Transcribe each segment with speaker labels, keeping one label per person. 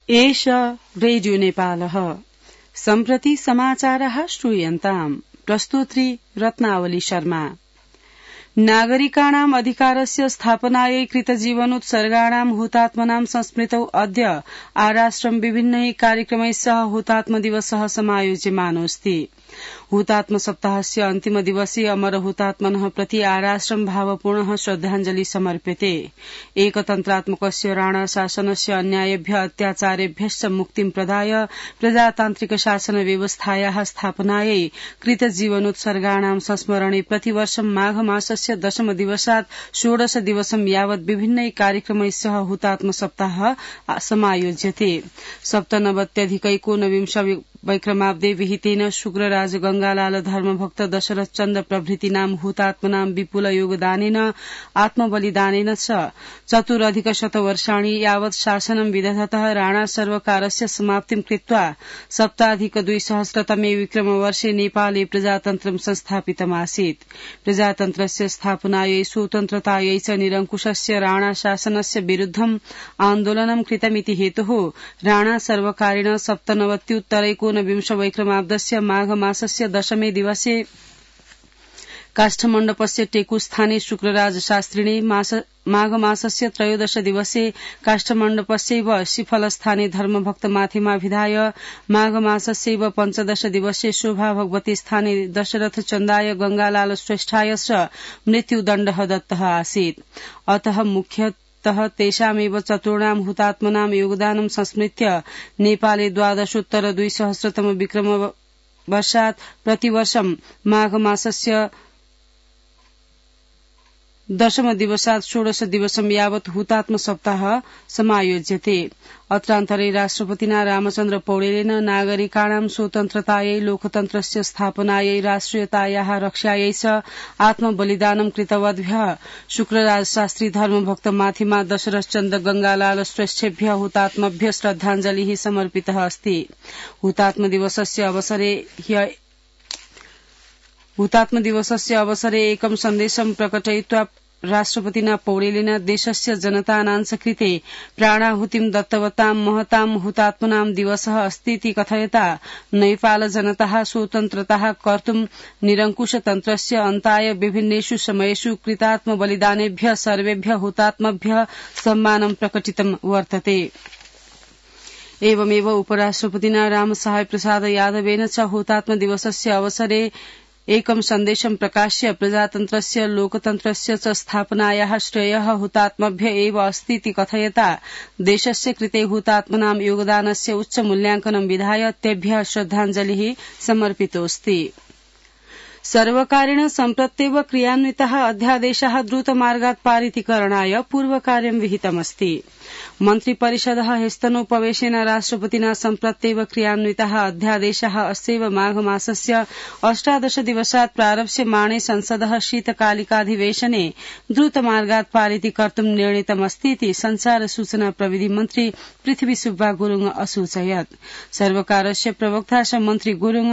Speaker 1: एष रेडियो नेपालः सम्प्रति समाचारः श्रूयन्ताम्। प्रस्तोत्री रत्नावली शर्मा। नागरिकाणाम् अधिकारस्य स्थापनायै कृतजीवनोत्सर्गाणाम् हुतात्मनां संस्मृतौ अद्य आराष्ट्रम् विभिन्नैः कार्यक्रमैः सह हुतात्म दिवसः समायोज्यमानोऽस्ति। हुतात्म सप्ताहस्य अन्तिम दिवसे अमर हुतात्मनः प्रति आराष्ट्रम् भावपूर्णः श्रद्धाञ्जलि समर्प्यते। एकतन्त्रात्मकस्य राणा शासनस्य अन्यायेभ्यः अत्याचारेभ्यश्च मुक्तिं प्रदाय प्रजातान्त्रिक शासन व्यवस्थायाः स्थापनायै कृतजीवनोत्सर्गाणां संस्मरणे प्रतिवर्ष माघ मासस्य 10 दिवसात् 16 दिवसं यावत् विभिन्नैः कार्यक्रमैः सह हुतात्म सप्ताहः समायोज्यते। 97 वैक्रमाब्दे विहितेन शुक्रराज गंगालाल धर्मभक्त दशरथ चन्द्र प्रभृतीनां हुतात्मनां विपुल योगदानेन आत्मबलिदानेन च 4 वर्षाणि यावत् शासनं विदधतः राणा सर्वकारस्य समाप्तिं कृत्वा 7+200 विक्रमवर्षे नेपाले प्रजातन्त्रं संस्थापितमासीत्। प्रजातन्त्रस्य स्थापनायै स्वतन्त्रतायै च निरङ्कुशस्य राणा शासनस्य विरुद्धम् आन्दोलनं कृतमिति हेतुः राणा सर्वकारेण 97 वैक्रमाब्दस्य माघ मासस्य 10 दिवसे काष्ठमण्डपस्य टेकुस्थाने शुक्रराज शास्त्रिणे माघ मासस्य 13 दिवसे काष्ठमण्डपस्यैव शिफलस्थाने धर्मभक्त माथिमाभिधाय माघ मासस्यैव 15 दिवसे शोभा भगवती स्थाने दशरथ चन्दाय गंगालाल श्रेष्ठाय च मृत्युदण्डः दत्तः आसीत्। अतः मुख्यतः तेषामेव चतुर्णां हुतात्मनां योगदानं संस्मृत्य नेपाले 12,200 विक्रम वर्षात् प्रतिवर्षं माघ मासस्य 10 दिवसात् 16 दिवसं यावत् हुतात्म सप्ताह समायोज्यते। अत्रान्तरे राष्ट्रपतिना रामचन्द्र पौडेलेन नागरिकाणां स्वतन्त्रतायै लोकतन्त्रस्य स्थापनायै राष्ट्रियतायाः रक्षायै च आत्मबलिदानं कृतवद्भ्यः शुक्रराज शास्त्री धर्मभक्त माथिमा दशरथ चन्द्र गंगालाल श्रेष्ठेभ्यः हुतात्मभ्यः श्रद्धाञ्जलिः समर्पितः अस्ति। हुतात्म दिवसस्य अवसरे एकं सन्देशं प्रकटयित्वा राष्ट्रपतिना पौडेलेन देशस्य जनानां कृते प्राणाहुतिं दत्तवतां महतां हुतात्मनां दिवसः अस्तीति कथयता नेपाल जनताः स्वतन्त्रताः कर्तुं निरङ्कुशतन्त्रस्य अन्ताय विभिन्नेषु समयेषु कृतात्म बलिदानेभ्यः सर्वेभ्यः हुतात्मभ्यः सम्मानं प्रकटितं वर्तते। एवमेव उपराष्ट्रपतिना रामसहाय प्रसाद यादवेन च हुतात्म दिवसस्य अवसरे एकं सन्देशं प्रकाश्य प्रजातन्त्रस्य लोकतन्त्रस्य च स्थापनायाः श्रेयः हुतात्मभ्य एव अस्तीति कथयता देशस्य कृते हुतात्मनां योगदानस्य उच्च मूल्याङ्कनं विधाय तेभ्यः श्रद्धाञ्जलिः समर्पितोऽस्ति। सर्वकारेण सम्प्रत्येव क्रियान्वितः अध्यादेशः द्रुतमार्गात् पारितीकरणाय पूर्वकार्यं विहितमस्ति। मन्त्रिपरिषदः ह्यस्तनोपवेशेन राष्ट्रपतिना सम्प्रत्येव क्रियान्वितः अध्यादेशः अस्यैव माघ मासस्य 18 दिवसात् प्रारप्स्यमाणे संसदः शीतकालिकाधिवेशने द्रुतमार्गात् पारितीकर्तुं निर्णीतमस्तीति संचार सूचना प्रविधि मन्त्री पृथ्वी सुब्बा गुरुङ असूचयत्। सर्वकारस्य प्रवक्ता मन्त्री गुरुङ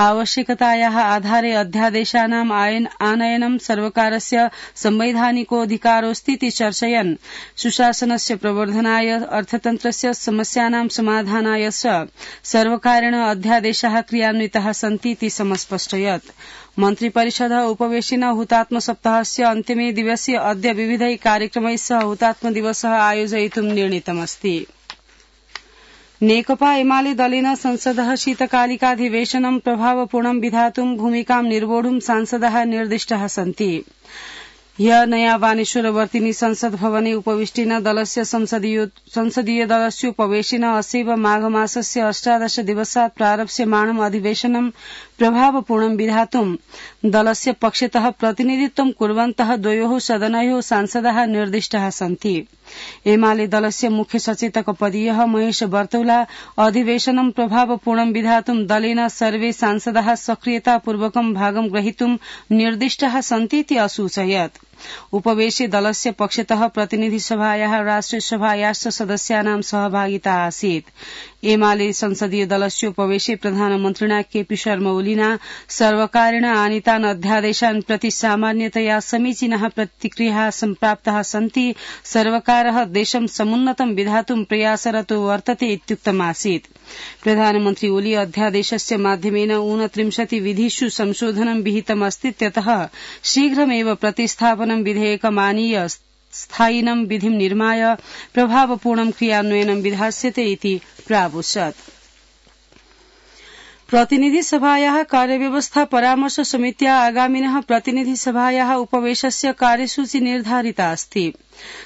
Speaker 1: आवश्यकतायाः आधारे अध्यादेशानाम् आनयनं सर्वकारस्य संवैधानिकोऽधिकारोऽस्तीति चर्चयन् सुशासनस्य प्रवर्धनाय अर्थतन्त्रस्य समस्यानां समाधानाय च सर्वकारेण अध्यादेशाः क्रियान्विताः सन्तीति समस्पष्टयत्। मन्त्रिपरिषदः उपवेशेन हुतात्म सप्ताहस्य अन्तिमे दिवसे अद्य विविधैः कार्यक्रमैः सह हुतात्म दिवसः आयोजयितुं निर्णीतमस्ति। नेकपा एमाले दलेन संसदः शीतकालिकाधिवेशनं प्रभावपूर्णं विधातुं भूमिकां निर्वोढुं सांसदाः निर्दिष्टाः सन्ति। ह्यः नया वानेश्वरवर्तिनी संसद भवने उपविष्टेन दलस्य संसदीय दलस्योपवेशेन अस्यैव माघ मासस्य 18 दिवसात् प्रारप्स्यमाणम् अधिवेशनं प्रभावपूर्णं विधातुं दलस्य पक्षतः प्रतिनिधित्वं कुर्वन्तः द्वयोः सदनयोः सांसदाः निर्दिष्टाः सन्ति। एमाले दलस्य मुख्य सचेतक पदीयः महेश बर्तौला अधिवेशनं प्रभावपूर्णं विधातुं दलेन सर्वे सांसदाः सक्रियतापूर्वकं भागं ग्रहीतुं निर्दिष्टाः सन्तीति असूचयत्। उपवेशे दलस्य पक्षतः प्रतिनिधिसभायाः राष्ट्रियसभायाश्च सदस्यानां सहभागिता आसीत्। एमाले संसदीय दलस्य उपवेशे प्रधानमन्त्रिणा केपी शर्मा ओलिना सर्वकारेण आनीतान् अध्यादेशान् प्रति सामान्यतया समीचीनाः प्रतिक्रियाः सम्प्राप्ताः सन्ति। सर्वकारः देशं समुन्नतं विधातुं प्रयासरतो वर्तते इत्युक्तमासीत्। प्रधानमन्त्री ओली अध्यादेशस्य माध्यमेन 29 विधिषु संशोधनं विहितमस्ति, त्यतः शीघ्रमेव प्रतिस्थापनं विधेयकमानीय स्थायिनं विधिं निर्माय प्रभावपूर्णं क्रियान्वयनं विधास्यते इति प्रावोचत्। प्रतिनिधिसभायाः कार्यव्यवस्था परामर्श समित्या आगामिनः प्रतिनिधिसभायाः उपवेशस्य कार्यसूची निर्धारिता अस्ति।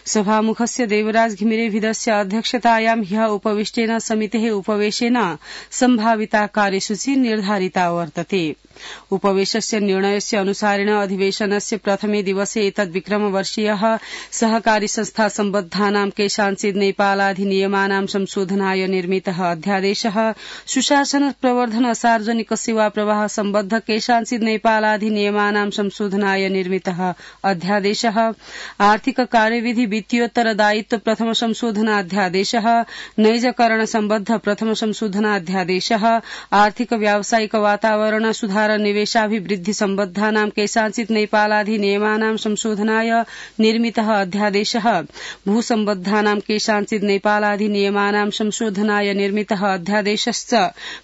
Speaker 1: सभामुखस्य देवराज घिमिरेभिदस्य अध्यक्षतायां ह्यः उपविष्टेन समितेः उपवेशेन सम्भाविता कार्यसूची निर्धारिता वर्तते। उपवेशस्य निर्णयस्य अनुसारेण अधिवेशनस्य प्रथमे दिवसे एतद्विक्रमवर्षीयः सहकारी संस्था सम्बद्धानां केषाञ्चित् नेपालाधिनियमानां संशोधनाय निर्मितः अध्यादेशः, सुशासन प्रवर्धन सार्वजनिक सेवा प्रवाह सम्बद्ध केषाञ्चित् नेपालाधिनियमानां संशोधनाय निर्मितः अध्यादेशः, आर्थिक कार्यविधि वित्तीयोत्तर दायित्व प्रथम संशोधनाध्यादेशः, नैजकरण सम्बद्ध प्रथम संशोधनाध्यादेशः, आर्थिक व्यावसायिक वातावरण सुधार निवेशाभिवृद्धि सम्बद्धानां केषाञ्चित् नेपालाधिनियमानां संशोधनाय निर्मितः अध्यादेशः, भूसम्बद्धानां केषाञ्चित् नेपालाधिनियमानां संशोधनाय निर्मितः अध्यादेशश्च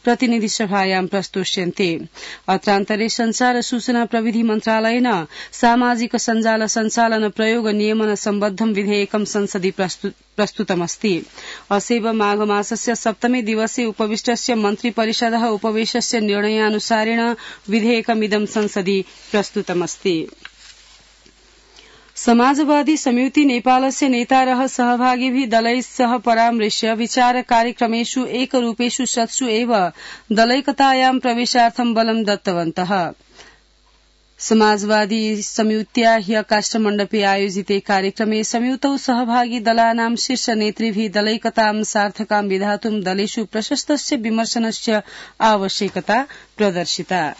Speaker 1: प्रतिनिधिसभायां प्रस्तोष्यन्ते। अत्रान्तरे संचार सूचना प्रविधि मन्त्रालयेन सामाजिक सञ्जाल सञ्चालन प्रयोग नियमन सम्बद्धं विधेयकं संसदि प्रस्तुतमस्ति। असेव माघमासस्य सप्तमे दिवसे उपविष्टस्य मन्त्रिपरिषदः उपवेशस्य निर्णयानुसारेण विधेयकमिदं संसदि प्रस्तुतमस्ति। समाजवादी संयुति नेपालस्य नेतारः सहभागिभिः दलैः सह परामृश्य विचार कार्यक्रमेषु एकरूपेषु शतसु एव दलैकतायां प्रवेशार्थं बलं दत्तवन्तः। समाजवादी संयुत्या ह्यः काष्ठमण्डपे आयोजिते कार्यक्रमे संयुतौ सहभागी दलानां शीर्ष नेतृभिः दलैकतां सार्थकां विधातुं दलेषु प्रशस्तस्य विमर्शनस्य आवश्यकता प्रदर्शिता।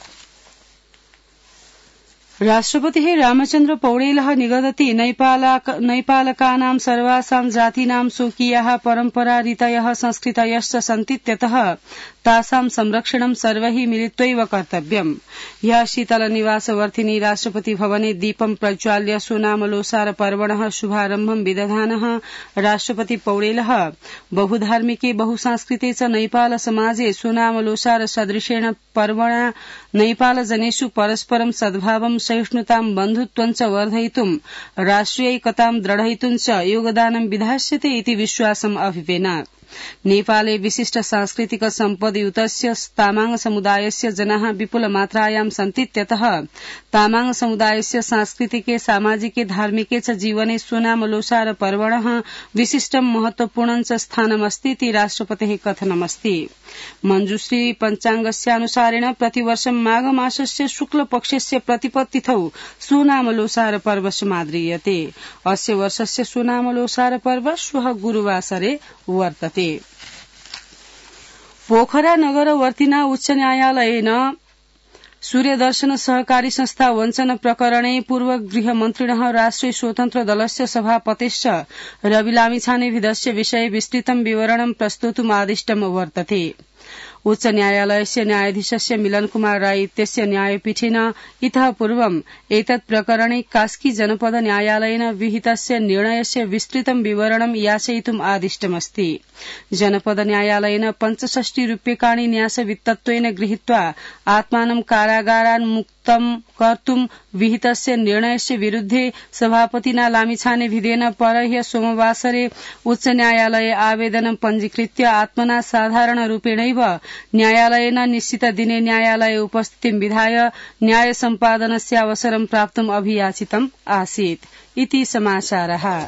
Speaker 1: राष्ट्रपतिः रामचन्द्र पौडेलः निगदति नैपालकानां सर्वासां जातीनां स्वकीयाः परम्परा रीतयः संस्कृतयश्च सन्ति, त्यतः तासां संरक्षणं सर्वैः मिलित्वैव कर्तव्यम्। ह्यः शीतलनिवासवर्तिनि राष्ट्रपति भवने दीपं प्रज्वाल्य सोनामलोसार पर्वणः शुभारम्भं विदधानः राष्ट्रपति पौडेलः बहुधार्मिके बहुसांस्कृते च नैपाल समाजे सोनामलोसार सदृशेण पर्वणा नैपालजनेषु परस्परं सद्भावं सहिष्णुतां बन्धुत्वं च वर्धयितुं राष्ट्रियैकतां दृढयितुं च योगदानं विधास्यते इति विश्वासम् अभिवेनात्। नेपाले विशिष्ट सांस्कृतिक सम्पदयुतस्य तामाङ समुदायस्य जनाः विपुलमात्रायां सन्ति, त्यतः तामाङ समुदायस्य सांस्कृतिके सामाजिके धार्मिके च जीवने सोनामलोसार पर्वणः विशिष्टं महत्वपूर्णं च स्थानमस्ति इति राष्ट्रपतेः कथनमस्ति। मञ्जुश्री पञ्चाङ्गस्यानुसारेण प्रतिवर्षं माघमासस्य शुक्लपक्षस्य प्रतिपत्तिथौ सोनामलोसार पर्व समाद्रियते। अस्य वर्षस्य सोनामलोसार पर्व श्वः गुरुवासरे वर्तते। पोखरा नगरवर्तिना उच्च न्यायालयेन सूर्यदर्शन सहकारी संस्था वञ्चन प्रकरणे पूर्व गृहमन्त्रिणः राष्ट्रिय स्वतन्त्र दलस्य सभापतिश्च रवि लामिछानेभिदस्य विषये विस्तृतं विवरणं प्रस्तोतुम् आदिष्टं वर्तते। उच्च न्यायालयस्य न्यायाधीशस्य मिलन कुमार राय इत्यस्य न्यायपीठेन इतः पूर्वम् एतत् प्रकरणे कास्की जनपद न्यायालयेन विहितस्य निर्णयस्य विस्तृतं विवरणं याचयितुम् आदिष्टमस्ति। जनपद न्यायालयेन 65 रूप्यकाणि न्यासवित्तत्वेन गृहीत्वा आत्मानं कारागारान्मुक्तं कर्तुं विहितस्य निर्णयस्य विरुद्धे सभापतिना लामिछानेभिदेन परह्य सोमवासरे उच्च न्यायालये आवेदनं पञ्जीकृत्य आत्मना साधारणरूपेणैव न्यायालयेन निश्चित दिने न्यायालये उपस्थितिं विधाय न्याय सम्पादनस्य अवसरं प्राप्तुम् अभियाचितम् आसीत् इति समाचारः।